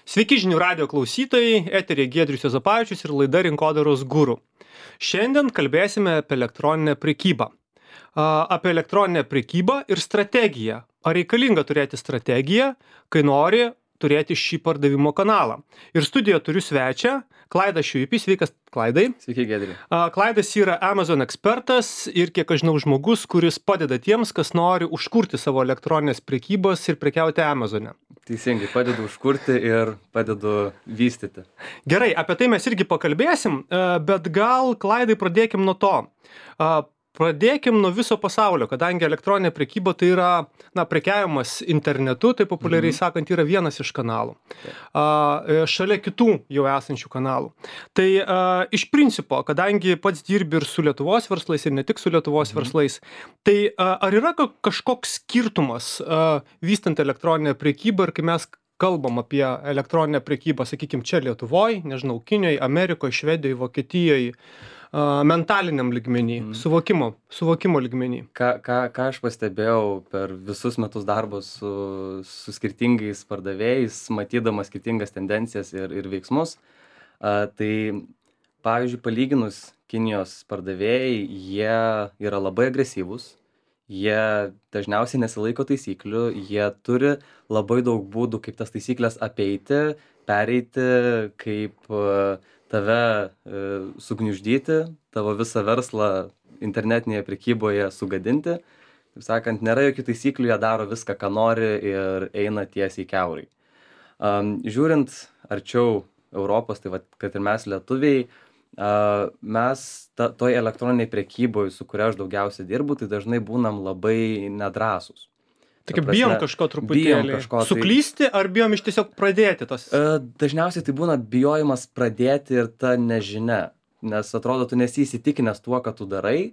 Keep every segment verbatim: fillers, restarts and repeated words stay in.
Sveiki žinių radio klausytojai, eteryje Giedrius Juozapavičius ir laida Rinkodaros guru. Šiandien kalbėsime apie elektroninę prekybą. Apie elektroninę prekybą ir strategiją. Ar reikalinga turėti strategiją, kai nori turėti šį pardavimo kanalą. Ir studijoje turiu svečią, Klaidas Šiuipys. Sveikas, Klaidai. Sveiki, Giedri. Klaidas yra Amazon ekspertas ir, kiek aš žinau, žmogus, kuris padeda tiems, kas nori užkurti savo elektroninės prekybos ir prekiauti Amazone. Teisingai, padedu užkurti ir padedu vystyti. Gerai, apie tai mes irgi pakalbėsim, bet gal, Klaidai, pradėkim nuo to. Pradėkim nuo viso pasaulio, kadangi elektroninė prekyba tai yra, na, prekiavimas internetu, tai populiariai Mhm. sakant, yra vienas iš kanalų. A, šalia kitų jau esančių kanalų. Tai a, iš principo, kadangi pats dirbi ir su Lietuvos verslais, ir ne tik su Lietuvos Mhm. verslais, tai a, ar yra ka- kažkoks skirtumas a, vystant elektroninę prekybą ir kai mes kalbam apie elektroninę prekybą, sakykime, čia Lietuvoje, nežinau, Kinijoje, Amerikoje, Švedijoje, Vokietijoje, a, mentaliniam lygmenį, Mhm. suvokimo, suvokimo lygmenį. Ką, ką, ką aš pastebėjau per visus metus darbo su, su skirtingais pardavėjais, matydamas skirtingas tendencijas ir, ir veiksmus, a, tai, pavyzdžiui, palyginus Kinijos pardavėjai, jie yra labai agresyvūs, jie dažniausiai nesilaiko taisyklių, jie turi labai daug būdų, kaip tas taisyklės apeiti, pereiti, kaip a, tave e, sugniuždyti, tavo visą verslą internetinėje prekyboje sugadinti. Taip sakant, nėra jokių taisyklių, jie daro viską, ką nori ir eina tiesiai kiaurai. Um, žiūrint arčiau Europos, tai vat, kad ir mes lietuviai, uh, mes ta, toj elektroniniai prekyboje, su kuria aš daugiausia dirbu, tai dažnai būnam labai nedrąsūs. Tai Ta kaip bijom prasme, kažko bijom truputėlį. kažko, tai- Suklysti ar bijom iš tiesiog pradėti tas? E, Dažniausiai tai būna bijojimas pradėti ir ta nežinia, nes atrodo, tu nesi įsitikinęs tuo, ką tu darai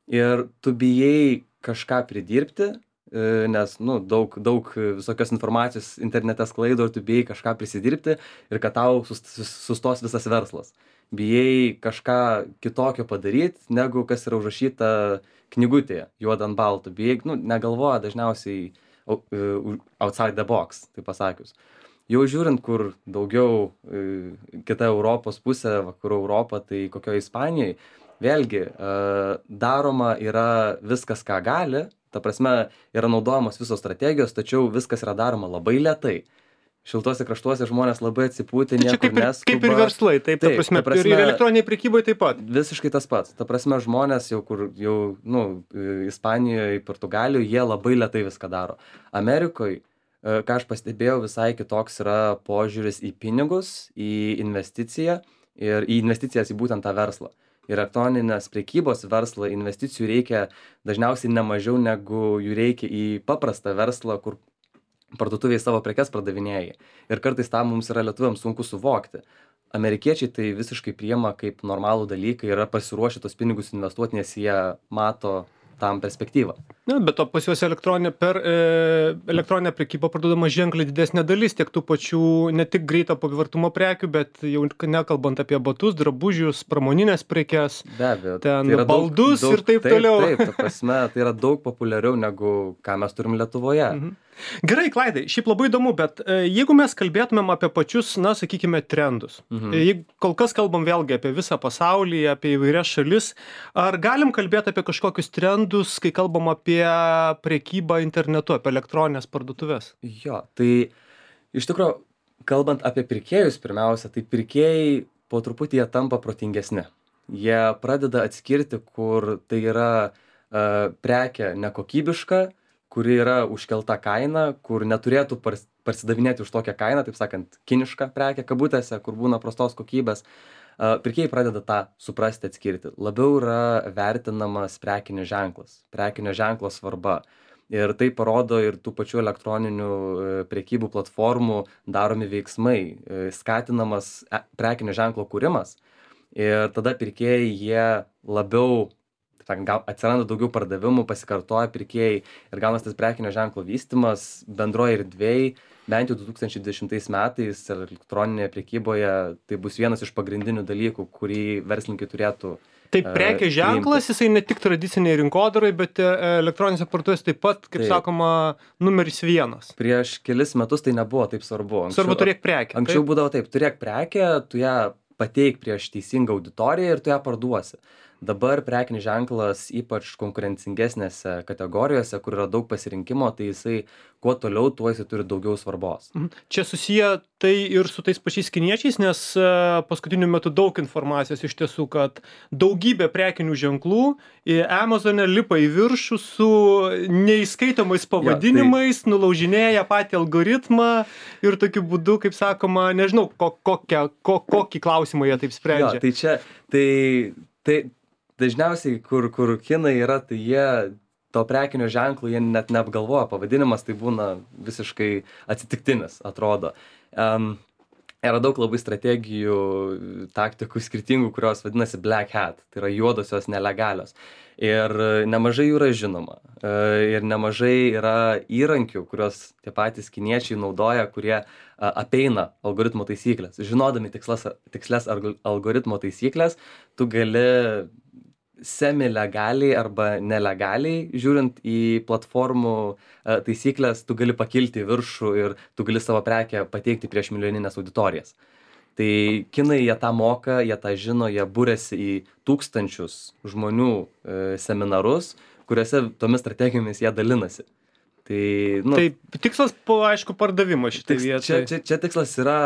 ir tu bijai kažką pridirbti, e, nes nu, daug, daug visokios informacijos internete sklaido ir tu bijai kažką prisidirbti ir kad tau sus- sus- sustos visas verslas. Bijai kažką kitokio padaryti, negu kas yra užrašyta knygutėje, juoda ant balto. Bijai, nu, negalvoja dažniausiai au- e, outside the box, tai pasakius. Jau žiūrint, kur daugiau e, kita Europos pusė, vakarų Europa, tai kokioje Ispanijoje, vėlgi e, daroma yra viskas, ką gali, ta prasme yra naudojamos visos strategijos, tačiau viskas yra daroma labai lėtai. Šiltuose kraštuose žmonės labai atsipūtę, Tai čia niekur kaip ir, neskuba. kaip ir verslai, taip, ta Taip, prasme, ta prasme- ir, ir elektroniniai prekybai taip pat. Visiškai tas pats. Ta prasme, žmonės jau kur, jau, nu, e, Ispanijoje, Portugalijoje, jie labai lietai viską daro. Amerikoje, e, ką aš pastebėjau, visai kitoks yra požiūris į pinigus, į investiciją ir į investicijas į būtent tą verslą. Ir elektroninės prekybos verslą investicijų reikia dažniausiai ne mažiau negu jų reikia į paprastą verslą, kur parduotuvėje savo prekes pardavinėjai. Ir kartais tą mums yra lietuviams sunku suvokti. Amerikiečiai tai visiškai priima kaip normalų dalyką, yra pasiruošę tos pinigus investuoti, nes jie mato tam perspektyvą. Na, bet to pas juos elektroninė, per e, elektroninę prekybą parduodama ženkliai didesnė dalis tiek tų pačių ne tik greito pavirtumo prekių, bet jau nekalbant apie batus, drabužius, pramoninės prekes, Be abejo. ten tai yra daug- baldus daug- ir taip taip, toliau. Taip, ta prasme, tai yra daug populiariau negu ką mes turim Lietuvoje. Mhm. Gerai, Klaidai, šiaip labai įdomu, bet e, jeigu mes kalbėtumėm apie pačius, na, sakykime, trendus, Mhm. e, jeigu kol kas kalbam vėlgi apie visą pasaulį, apie įvairias šalis, ar galim kalbėti apie kažkokius trendus, kai kalbam apie prekybą internetu, apie elektroninės parduotuvės? Jo, tai iš tikrųjų, kalbant apie pirkėjus pirmiausia, tai pirkėjai po truputį jie tampa protingesni. Jie pradeda atskirti, kur tai yra uh, prekė nekokybiška, kuri yra užkelta kaina, kur neturėtų pars- parsidavinėti už tokią kainą, taip sakant, kiniška prekė kabutėse, kur būna prastos kokybės. Uh, pirkėjai pradeda tą suprasti, atskirti. Labiau yra vertinamas prekinis ženklas, prekinio ženklo svarba. Ir tai parodo ir tų pačių elektroninių e, prekybų platformų daromi veiksmai, e, skatinamas e, prekinio ženklo kūrimas. Ir tada pirkėjai jie labiau, taip sakant, gal atsiranda daugiau pardavimų, pasikartoja pirkėjai ir gaunas tas prekinio ženklo vystimas bendroje erdvėje, bent jau du tūkstančiai dvidešimtais metais elektroninėje prekyboje tai bus vienas iš pagrindinių dalykų, kurį verslininkai turėtų Tai prekės ženklas, jisai ne tik tradiciniai rinkodarai, bet elektroninėse parduotuvėse taip pat, kaip Taip. sakoma, numeris vienas. Prieš kelis metus tai nebuvo taip svarbu. Anksčiau, Svarbu turėk prekę. Anksčiau taip? būdavo taip, turėk prekę, tu ją pateik prieš teisingą auditoriją ir tu ją parduosi. Dabar prekinis ženklas, ypač konkurencingesnėse kategorijose, kur yra daug pasirinkimo, tai jisai kuo toliau, tuo jisai turi daugiau svarbos. Čia susiję tai ir su tais pačiais kiniečiais, nes paskutiniu metu daug informacijos iš tiesų, kad daugybė prekinių ženklų į Amazone lipa į viršų su neįskaitomais pavadinimais, ja, tai... nulaužinėja patį algoritmą ir tokiu būdu, kaip sakoma, nežinau, ko, kokią, ko, kokį klausimą jie taip sprendžia. Ja, tai čia, tai, tai dažniausiai, kur, kur kinai yra, tai jie to prekinio ženklo, jie net neapgalvoja, pavadinimas tai būna visiškai atsitiktinis, atrodo. Um, yra daug labai strategijų, taktikų skirtingų, kurios vadinasi black hat, tai yra juodosios nelegalios. Ir nemažai jų yra žinoma. Ir nemažai yra įrankių, kurios tie patys kiniečiai naudoja, kurie apeina algoritmo taisyklės. Žinodami tikslas, tikslės algoritmo taisyklės, tu gali semi-legaliai arba nelegaliai, žiūrint į platformų taisyklės, tu gali pakilti į viršų ir tu gali savo prekę pateikti prieš milijoninės auditorijas. Tai kinai jie tą moka, jie tą žino, jie būrėsi į tūkstančius žmonių seminarus, kuriuose tomis strategijomis jie dalinasi. Tai, nu, tai tikslas, aišku, pardavimas šitai tiks, vietai. Čia, čia, čia tikslas yra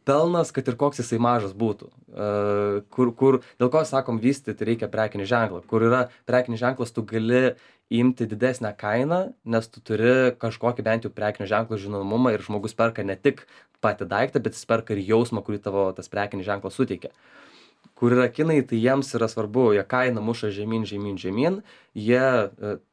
pelnas, kad ir koks jisai mažas būtų. Uh, kur, kur, dėl ko, sakom, vystyti reikia prekinį ženklą. Kur yra prekinis ženklas, tu gali imti didesnę kainą, nes tu turi kažkokį bent jau prekinio ženklo žinomumą ir žmogus perka ne tik patį daiktą, bet jis perka ir jausmą, kurį tavo tas prekinis ženklas suteikia. Kur yra kinai, tai jiems yra svarbu, jie kainą muša žemyn, žemyn, žemyn, jie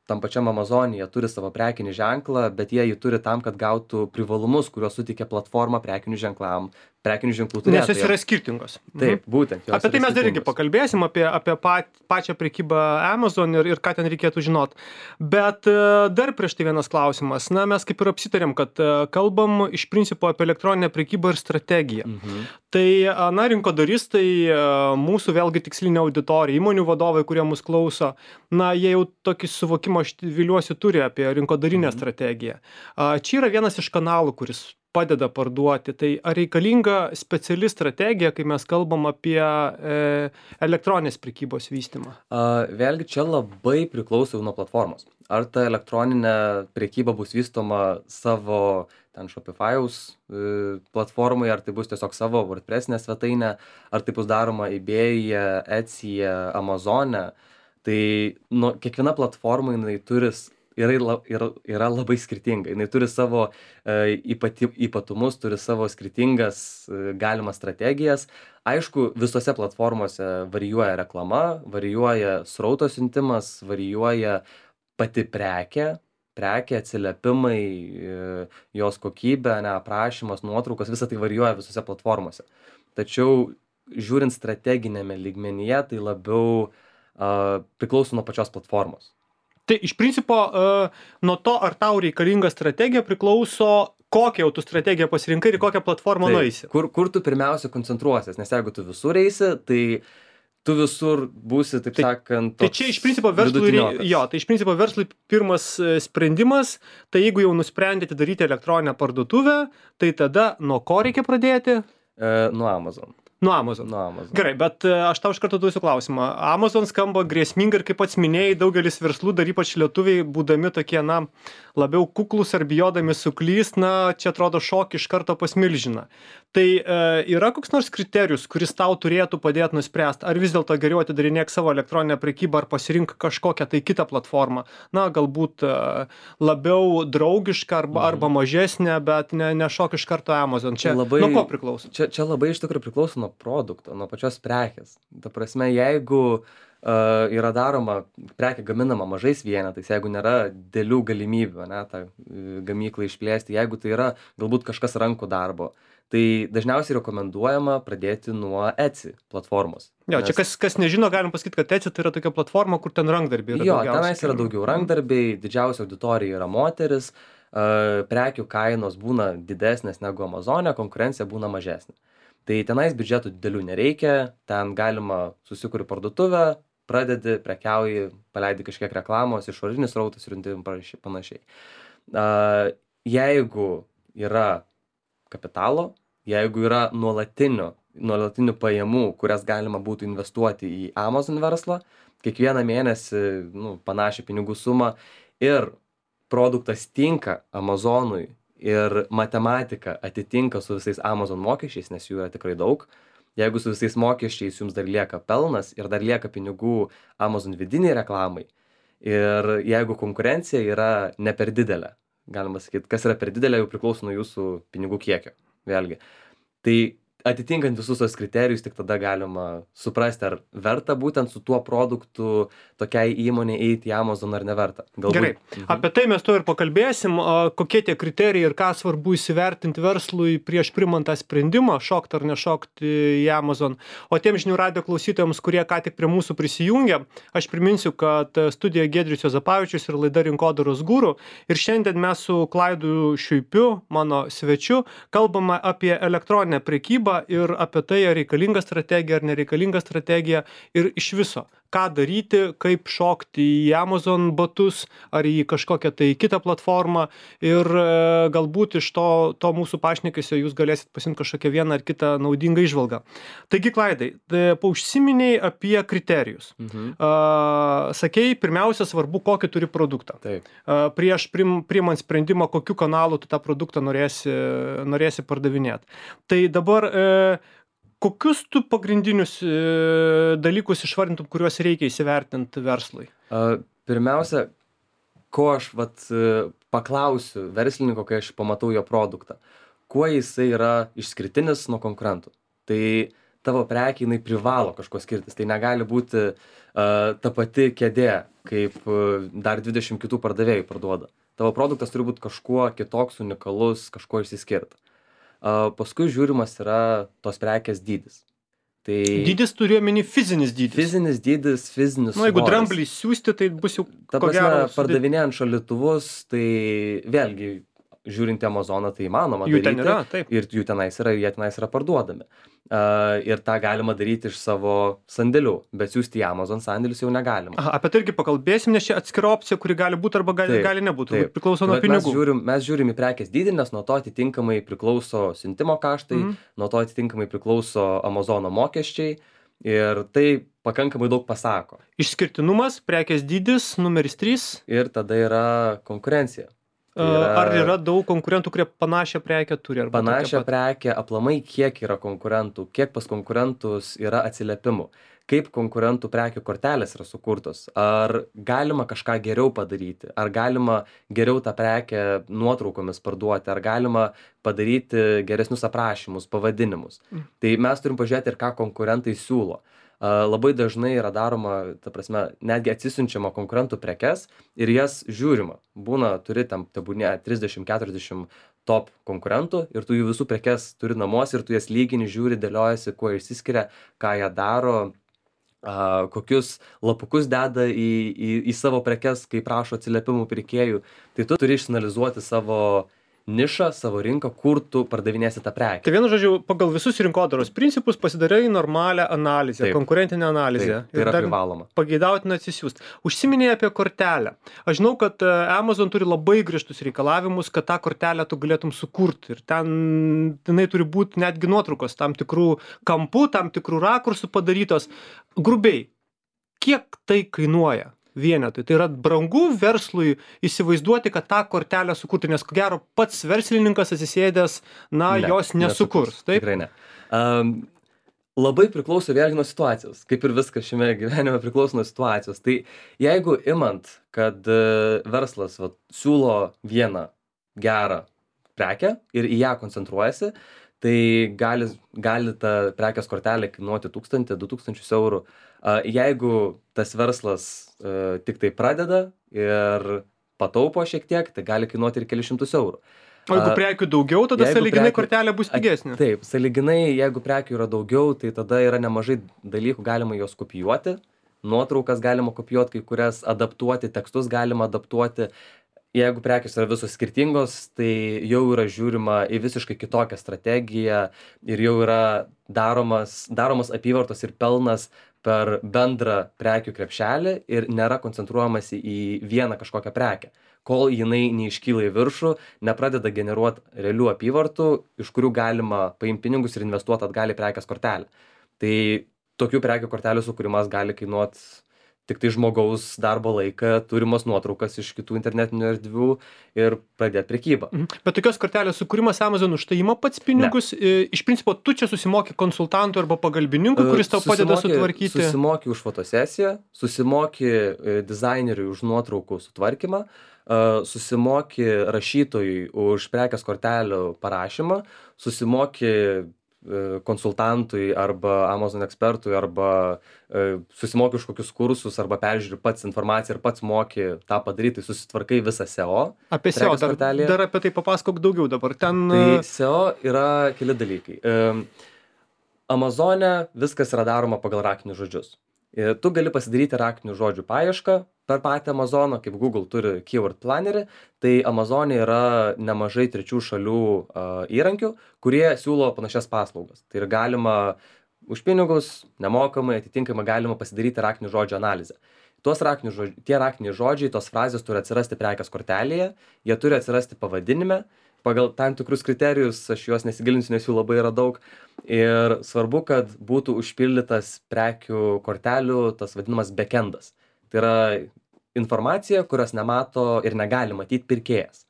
tam pačiam Amazon'e jie turi savo prekinį ženklą, bet jie jį turi tam, kad gautų privalumus, kuriuos suteikia platforma prekinių ženklam, prekinių ženklų turėtojams. Nes jos yra skirtingos. Taip, būtent. Apie tai mes dar irgi pakalbėsim, apie, apie pat, pačią prekybą Amazon ir, ir ką ten reikėtų žinot. Bet dar prieš tai vienas klausimas. Na, mes kaip ir apsitarėm, kad kalbam iš principo apie elektroninę prekybą ir strategiją. Mhm. Tai, na, rinkodaristai, mūsų vėlgi tikslinė auditorija, įmonių vadovai, kurie mus klauso, na, jie jau tokį suvokimą, aš viliuosi, turi apie rinkodarinę mhm. strategiją. Čia yra vienas iš kanalų, kuris padeda parduoti. Tai ar reikalinga speciali strategija, kai mes kalbam apie e, elektroninės prekybos vystymą? Uh, vėlgi čia labai priklauso nuo platformos. Ar ta elektroninė prekyba bus vystoma savo ten Shopify'aus e, platformai, ar tai bus tiesiog savo WordPressinė svetainė, ar tai bus daroma eBay'e, Etsy'e, Amazon'e. Tai nu, kiekviena platforma jinai turi Yra, yra, yra labai skirtinga. Jis turi savo e, ypati, ypatumus, turi savo skirtingas e, galimas strategijas. Aišku, visose platformose varijuoja reklama, varijuoja srauto siuntimas, varijuoja pati prekė, prekė, atsiliepimai, e, jos kokybė, ne, aprašymas, nuotraukos, visa tai varijuoja visose platformose. Tačiau žiūrint strateginėme lygmenyje, tai labiau e, priklauso nuo pačios platformos. Tai iš principo nuo to, ar tau reikalinga strategija, priklauso, kokią jau tu strategiją pasirinkai ir kokią platformą tai, nueisi. Kur, kur tu pirmiausia koncentruosies, nes jeigu tu visur eisi, tai tu visur būsi, taip tai, sakant, tai čia iš principo verslui, jo, tai iš principo verslui pirmas sprendimas, tai jeigu jau nusprendėte daryti elektroninę parduotuvę, tai tada nuo ko reikia pradėti? E, nuo Amazon. Nuo Amazon. Nuo Amazon. Gerai, bet aš tau iš karto duosiu klausimą. Amazon skamba grėsmingai ir kaip pats minėjai, daugelis verslų, dar ypač lietuviai, būdami tokie, na, labiau kuklus ar bijodami suklyst, na, čia atrodo šokį iš karto pas milžiną. Tai e, yra koks nors kriterijus, kuris tau turėtų padėti nuspręsti, ar vis dėlto geriau atidarinėk savo elektroninę prekybą, ar pasirink kažkokią tai kitą platformą. Na, galbūt e, labiau draugišką arba, mhm. arba mažesnę, bet ne, ne šok iš karto Amazon. Čia labai, nuo ko priklauso? Čia, čia labai iš tikrųjų priklauso nuo produkto, nuo pačios prekės. Ta prasme, jeigu uh, yra daroma, prekė gaminama mažais vienetais, jeigu nėra dėlių galimybių, ne, tą uh, gamyklą išplėsti, jeigu tai yra galbūt kažkas rankų darbo, tai dažniausiai rekomenduojama pradėti nuo Etsy platformos. Jo, nes... čia kas, kas nežino, galim pasakyti, kad Etsy tai yra tokia platforma, kur ten rankdarbiai yra. Jo, tenais yra daugiau rankdarbiai, didžiausia auditorija yra moteris, uh, prekių kainos būna didesnės negu Amazon'e, konkurencija būna mažesnė. Tai tenais biudžetų didelių nereikia, ten galima susikuri parduotuvę, pradedi, prekiauji, paleidi kažkiek reklamos, išorinis srautas ir panašiai. Jeigu yra kapitalo, jeigu yra nuolatinių, nuolatinių pajamų, kurias galima būtų investuoti į Amazon verslą, kiekvieną mėnesį nu, panašią pinigų sumą ir produktas tinka Amazonui ir matematika atitinka su visais Amazon mokesčiais, nes jų yra tikrai daug. Jeigu su visais mokesčiais jums dar lieka pelnas ir dar lieka pinigų Amazon vidiniai reklamai ir jeigu konkurencija yra ne per didelė, galima sakyti, kas yra per didelė, jau priklauso nuo jūsų pinigų kiekio, vėlgi. Tai atitinkant visus tos kriterijus, tik tada galima suprasti, ar verta būtent su tuo produktu tokiai įmonė eiti į Amazon ar neverta. Galbūt... Gerai, mhm. Apie tai mes to ir pakalbėsim, kokie tie kriterijai ir ką svarbu įsivertinti verslui prieš primant tą sprendimą, šokti ar nešokti į Amazon. O tiem žinių radijo klausytojams, kurie ką tik prie mūsų prisijungia, aš priminsiu, kad studija Giedrius Juozapavičius ir laida Rinkodaros guru. Ir šiandien mes su Klaidu Šiuipiu, mano svečiu, kalbame apie elektroninę prekybą ir apie tai, ar reikalinga strategija, ar nereikalinga strategija ir iš viso, ką daryti, kaip šokti į Amazon batus, ar į kažkokią tai kitą platformą ir e, galbūt iš to, to mūsų pašnekesio jūs galėsit pasimti kažkokią vieną ar kitą naudingą įžvalgą. Taigi, Klaidai, paužsiminiai apie kriterijus. Mhm. Uh, sakei, pirmiausia, svarbu, kokį turi produktą. Taip. Uh, prieš prim, priimant sprendimą, kokiu kanalu tu tą produktą norėsi, norėsi pardavinėti. Tai dabar uh, kokius tu pagrindinius e, dalykus išvardintum, kuriuos reikia įsivertinti verslui? Uh, pirmiausia, ko aš vat, paklausiu verslininko, kai aš pamatau jo produktą, kuo jisai yra išskirtinis nuo konkurentų. Tai tavo prekė, jinai privalo kažko skirtis. Tai negali būti uh, ta pati kėdė, kaip uh, dar dvidešimt kitų pardavėjų parduoda. Tavo produktas turi būti kažkuo kitoks, unikalus, kažkuo išsiskirti. Uh, paskui žiūrimas yra tos prekės dydis. Tai dydis turi omeny fizinis dydis. Fizinis dydis, fizinis svoris. Na, jeigu dramblį siūsti, tai bus jau Ta ko prasme, gero pardavinėjant šaldytuvus, tai vėlgi, žiūrint į Amazoną, tai įmanoma jų daryti. Ten yra, taip. Ir jų tenais yra, jie tenais yra parduodami. Uh, ir tą galima daryti iš savo sandėlių, bet siūsti į Amazon sandėlius jau negalima. Aha, apie tai irgi pakalbėsim, nes čia atskira opcija, kuri gali būti arba gali, taip, gali nebūti, priklauso nuo bet pinigų. Mes žiūrim, mes žiūrim į prekės dydį, nes nuo to atitinkamai priklauso siuntimo kaštai, mm. nuo to atitinkamai priklauso Amazono mokesčiai ir tai pakankamai daug pasako. Išskirtinumas, prekės dydis, numeris trys. Ir tada yra konkurencija. Yra, ar yra daug konkurentų, kurie panašią prekę turi? Arba panašią prekę, aplamai kiek yra konkurentų, kiek pas konkurentus yra atsiliepimų, kaip konkurentų prekių kortelės yra sukurtos, ar galima kažką geriau padaryti, ar galima geriau tą prekę nuotraukomis parduoti, ar galima padaryti geresnius aprašymus, pavadinimus. Mm. Tai mes turim pažiūrėti ir ką konkurentai siūlo. Uh, labai dažnai yra daroma, ta prasme, netgi atsisiunčiama konkurentų prekes ir jas žiūrima. Būna, turi tam, tebūnė, trisdešimt keturiasdešimt top konkurentų ir tu jų visų prekes turi namuose ir tu jas lygini, žiūri, dėliojasi, kuo išsiskiria, ką jie daro, uh, kokius lapukus deda į, į, į savo prekes, kai prašo atsiliepimų pirkėjų. Tai tu turi išanalizuoti savo nišą, savo rinką, kur tu pardavinėsi tą prekę. Tai vienu žodžiu, pagal visus rinkodaros principus pasidarai normalią analizę, taip, konkurentinę analizę. Taip, tai yra privaloma. Pageidautina atsisiųsti. Užsiminėjai apie kortelę. Aš žinau, kad Amazon turi labai griežtus reikalavimus, kad tą kortelę tu galėtum sukurti. Ir ten jinai turi būti netgi nuotraukos tam tikrų kampų, tam tikrų rakursų padarytos. Grubiai, kiek tai kainuoja? Vienetui. Tai yra brangu verslui įsivaizduoti, kad tą kortelę sukurti, nes ko gero pats verslininkas atsisėdęs, na, ne, jos nesukurs. Taip? Tikrai ne. Um, labai priklauso vėlgi nuo situacijos, kaip ir viskas šiame gyvenime priklauso nuo situacijos. Tai jeigu imant, kad uh, verslas va, siūlo vieną gerą prekę ir į ją koncentruojasi, tai gali, gali ta prekės kortelė kainuoti tūkstantį, du tūkstančius eurų. Uh, jeigu tas verslas uh, tik tai pradeda ir pataupo šiek tiek, tai gali kainuoti ir kelius šimtus eurų. O jeigu prekių daugiau, tada sąlyginai prekių... kortelė bus pigesnė. Taip, sąlyginai, jeigu prekių yra daugiau, tai tada yra nemažai dalykų, galima juos kopijuoti, nuotraukas galima kopijuoti, kai kurias adaptuoti, tekstus galima adaptuoti. Jeigu prekės yra visos skirtingos, tai jau yra žiūrima į visiškai kitokią strategiją ir jau yra daromas, daromas apyvartos ir pelnas per bendrą prekių krepšelį ir nėra koncentruojamasi į vieną kažkokią prekę, kol jinai neiškyla į viršų, nepradeda generuot realių apyvartų, iš kurių galima paimti pinigus ir investuoti atgal į prekės kortelę. Tai tokių prekių kortelių sukūrimas gali kainuot tik tai žmogaus darbo laiką, turimas nuotraukas iš kitų internetinių erdvių ir pradėti prekybą. Mhm. Bet tokios kortelės sukūrimas Amazon už tai ima pats pinigus. Ne. Iš principo, tu čia susimoki konsultantui arba pagalbininkui, kuris tau padeda sutvarkyti. Susimoki už fotosesiją, susimoki dizaineriui už nuotraukų sutvarkymą, susimoki rašytojui už prekės kortelių parašymą, susimoki konsultantui arba Amazon ekspertui arba e, susimoki už kokius kursus arba peržiūri pats informaciją ir pats moki tą padaryti, tai susitvarkai visą S E O. Apie S E O, dar, dar apie tai papasakok daugiau dabar. Ten... Tai S E O yra keli dalykai. E, Amazone viskas yra daroma pagal raktinius žodžius. E, tu gali pasidaryti raktinių žodžių paiešką per patį Amazoną, kaip Google turi Keyword Plannerį, tai Amazone yra nemažai trečių šalių uh, įrankių, kurie siūlo panašias paslaugas. Tai ir galima už pinigus, nemokamai, atitinkamai galima pasidaryti raktinių žodžių analizę. Tuos raktinių žodžių, tie raktiniai žodžiai, tos frazės turi atsirasti prekės kortelėje, jie turi atsirasti pavadinime, pagal tam tikrus kriterijus, aš juos nesigilinsiu, nes jų labai yra daug. Ir svarbu, kad būtų užpildytas prekių kortelių tas vadinamas backendas. Tai yra informacija, kurios nemato ir negali matyti pirkėjas.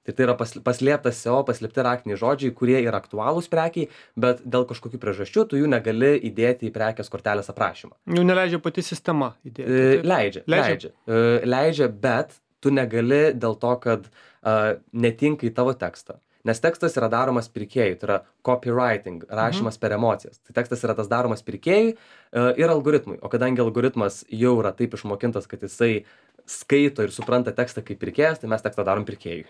Tai tai yra paslėptas S E O, paslėpti raktiniai žodžiai, kurie yra aktualūs prekiai, bet dėl kažkokių priežasčių tu jų negali įdėti į prekės kortelės aprašymą. Jų neleidžia pati sistema įdėti. E, leidžia, leidžia. Leidžia. E, leidžia, bet tu negali dėl to, kad uh, netinka į tavo tekstą. Nes tekstas yra daromas pirkėjui, tai yra copywriting, rašymas mhm. per emocijas. Tai tekstas yra tas daromas pirkėjui uh, ir algoritmui. O kadangi algoritmas jau yra taip išmokintas, kad jisai skaito ir supranta tekstą kaip pirkėjas, tai mes tekstą darom pirkėjui.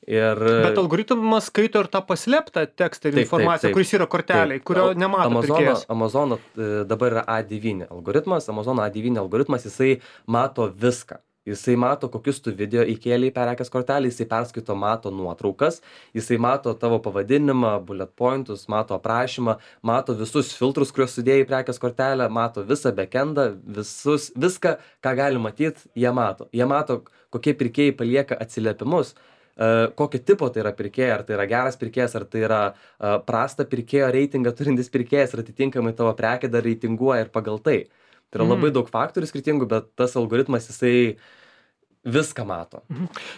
Ir... Bet algoritmas skaito ir tą paslėptą tekstą ir taip, informaciją, taip, taip, kuris yra korteliai, taip. Kurio nemato Amazono, pirkėjas. Amazono dabar yra A devyni algoritmas, Amazono A devyni algoritmas, jisai mato viską. Jisai mato, kokius tu video įkėlei į prekės kortelę, jisai perskaito, mato nuotraukas, jisai mato tavo pavadinimą, bullet pointus, mato aprašymą, mato visus filtrus, kuriuos sudėjai į prekės kortelę, mato visą backendą, visus, viską, ką gali matyti, jie mato. Jie mato, kokie pirkėjai palieka atsiliepimus, uh, kokio tipo tai yra pirkėjai, ar tai yra geras pirkėjas, ar tai yra uh, prastą pirkėjo reitingą turintis pirkėjas, ir atitinkamai tavo prekė dar reitinguoja ir pagal tai. Tai yra mm. labai daug faktorių skirtingų, bet tas algoritmas jisai viską mato.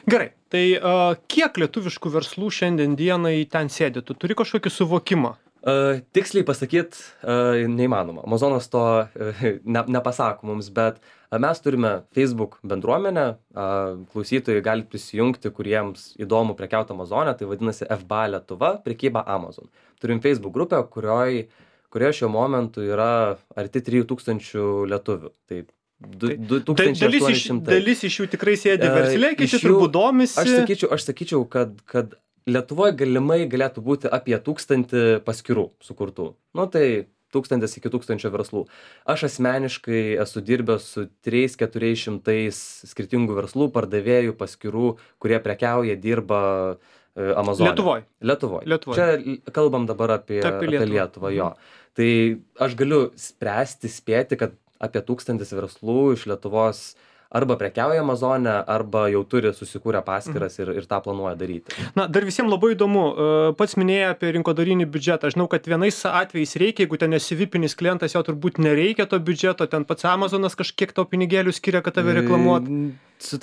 Gerai, tai uh, kiek lietuviškų verslų šiandien dienai ten sėdi? Tu turi kažkokį suvokimą? Uh, tiksliai pasakyt uh, neįmanoma. Amazonas to uh, ne, nepasako mums, bet uh, mes turime Facebook bendruomenę, uh, klausytojai gali prisijungti, kuriems įdomu prekiauti Amazone, tai vadinasi F B A Lietuva, prekyba Amazon. Turim Facebook grupę, kurioj kurioje šiuo momentu yra arti trijų tūkstančių lietuvių. Tai du tūkstančiai aštuoni šimtai. Dalis iš jų tikrai sėdi versle, kiti turbūt domisi. Aš sakyčiau, aš sakyčiau kad, kad Lietuvoje galimai galėtų būti apie tūkstantį paskyrų sukurtų. Nu tai tūkstantis iki tūkstančio verslų. Aš asmeniškai esu dirbęs su trys keturiais šimtais skirtingų verslų, pardavėjų, paskyrų, kurie prekiauja, dirba Amazone. Lietuvoj. Lietuvoj. Lietuvoj. Čia kalbam dabar apie, apie Lietuvą, Lietuvą jo. Tai aš galiu spręsti, spėti, kad apie tūkstantis verslų iš Lietuvos arba prekiauja Amazone, arba jau turi susikūrę paskyras ir, ir tą planuoja daryti. Na, dar visiems labai įdomu, pats minėjai apie rinkodarinį biudžetą. Aš žinau, kad vienais atvejais reikia, jeigu ten esi vipinis klientas, jo turbūt nereikia to biudžeto, ten pats Amazonas kažkiek to pinigėlių skiria, kad tave reklamuot.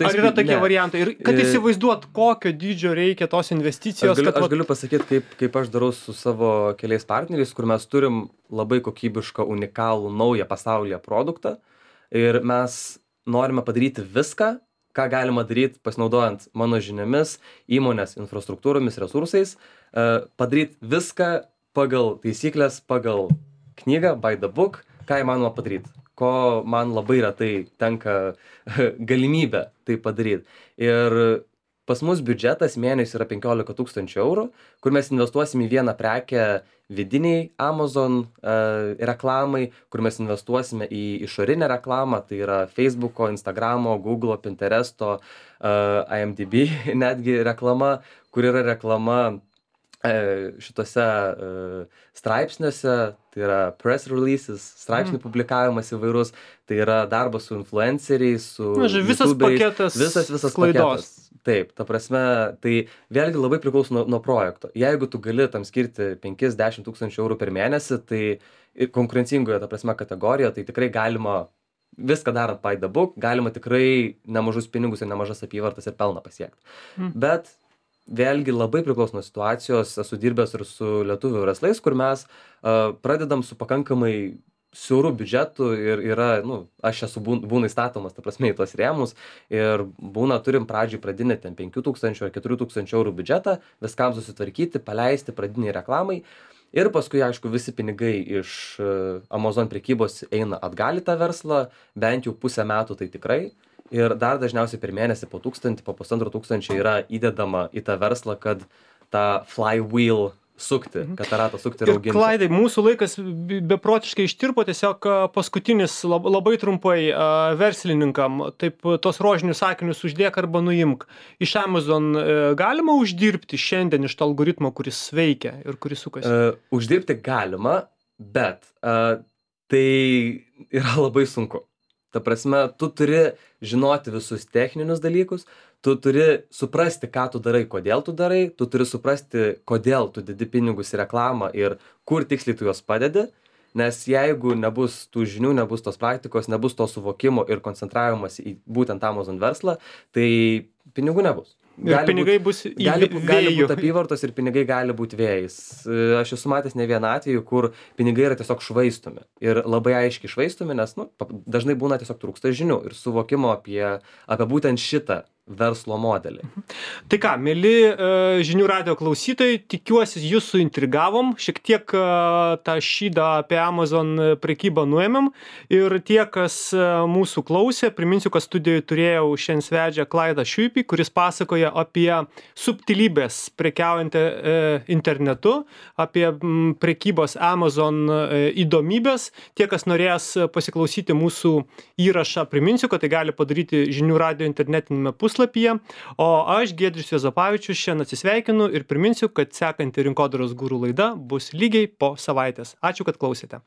Ar yra tokie ne. variantai? Ir kad įsivaizduot, kokio dydžio reikia tos investicijos. Aš galiu, kad... aš galiu pasakyti, kaip, kaip aš darau su savo keliais partneriais, kur mes turim labai kokybišką, unikalų, naują pasaulyje produktą. Ir mes norime padaryti viską, ką galima daryti pasinaudojant mano žiniomis, įmonės infrastruktūromis, resursais, padaryti viską pagal taisyklės, pagal knygą, by the book, ką įmanoma padaryti, ko man labai retai tenka galimybė tai padaryti. Ir pas mus biudžetas mėnesį yra penkiolika tūkstančių eurų, kur mes investuosim į vieną prekę vidiniai Amazon uh, reklamai, kur mes investuosime į išorinę reklamą, tai yra Facebooko, Instagramo, Google, Pinteresto, uh, I M D B netgi reklama, kur yra reklama šituose e, straipsniuose, tai yra press releases, straipsnių publikavimas įvairus, tai yra darbas su influenceriais, su Na, žodžiu, visas YouTuberiais, paketas visas, visas sklaidos. paketas. Taip, ta prasme, tai vėlgi labai priklauso nuo, nuo projekto. Jeigu tu gali tam skirti penki dešimt tūkstančių eurų per mėnesį, tai konkurencingoje, ta prasme, kategorijoje, tai tikrai galima viską darant by the book, galima tikrai nemažus pinigus ir nemažas apyvartas ir pelną pasiekti. Mm. Bet vėlgi labai priklauso nuo situacijos, esu dirbęs ir su lietuvių verslais, kur mes uh, pradedam su pakankamai siaurų biudžetų ir yra, nu, aš esu būna įstatomas, ta prasme, į tos rėmus ir būna, turim pradžiai pradinį ten penkių tūkstančių ar keturių tūkstančių eurų biudžetą, viskam susitvarkyti, paleisti pradiniai reklamai ir paskui, aišku, visi pinigai iš Amazon prekybos eina atgal į tą verslą, bent jau pusę metų tai tikrai. Ir dar dažniausiai per mėnesį po tūkstantį, po pusantro tūkstančio yra įdedama į tą verslą, kad tą flywheel sukti, kad tą ratą sukti ir auginti. Ir Klaidai, mūsų laikas beprotiškai ištirpo, tiesiog paskutinis labai trumpai verslininkam, taip tos rožinius sakinius uždėk arba nuimk. Iš Amazon galima uždirbti šiandien iš to algoritmo, kuris veikia ir kuris sukasi? Uh, uždirbti galima, bet uh, tai yra labai sunku. Ta prasme, tu turi žinoti visus techninius dalykus, tu turi suprasti, ką tu darai, kodėl tu darai, tu turi suprasti, kodėl tu dedi pinigus į reklamą ir kur tiksliai tu juos padedi, nes jeigu nebus tų žinių, nebus tos praktikos, nebus to suvokimo ir koncentravimas į būtent Amazon verslą, tai pinigų nebus. Ir gali pinigai būt, bus į gali, vėjų. Gali būti apyvartos ir pinigai gali būti vėjais. Aš esu matęs ne vieną atvejį, kur pinigai yra tiesiog švaistomi. Ir labai aiškiai švaistomi, nes nu, dažnai būna tiesiog trūksta žinių ir suvokimo apie, apie būtent šitą verslo modelį. Tai ką, mėly žinių radijo klausytojai, tikiuosi jūs suintrigavom, šiek tiek tą šydą apie Amazon prekybą nuėmėm ir tie, kas mūsų klausė, priminsiu, kad studijoje turėjau šiandien svečią Klaidą Šiuipį, kuris pasakoja apie subtilybės prekiaujant internetu, apie prekybos Amazon įdomybės. Tie, kas norės pasiklausyti mūsų įrašą, priminsiu, kad tai gali padaryti žinių radijo internetinėme puslapyje. O aš, Giedrius Juozapavičius, šiandien atsisveikinu ir priminsiu, kad sekanti Rinkodaros guru laida bus lygiai po savaitės. Ačiū, kad klausėte.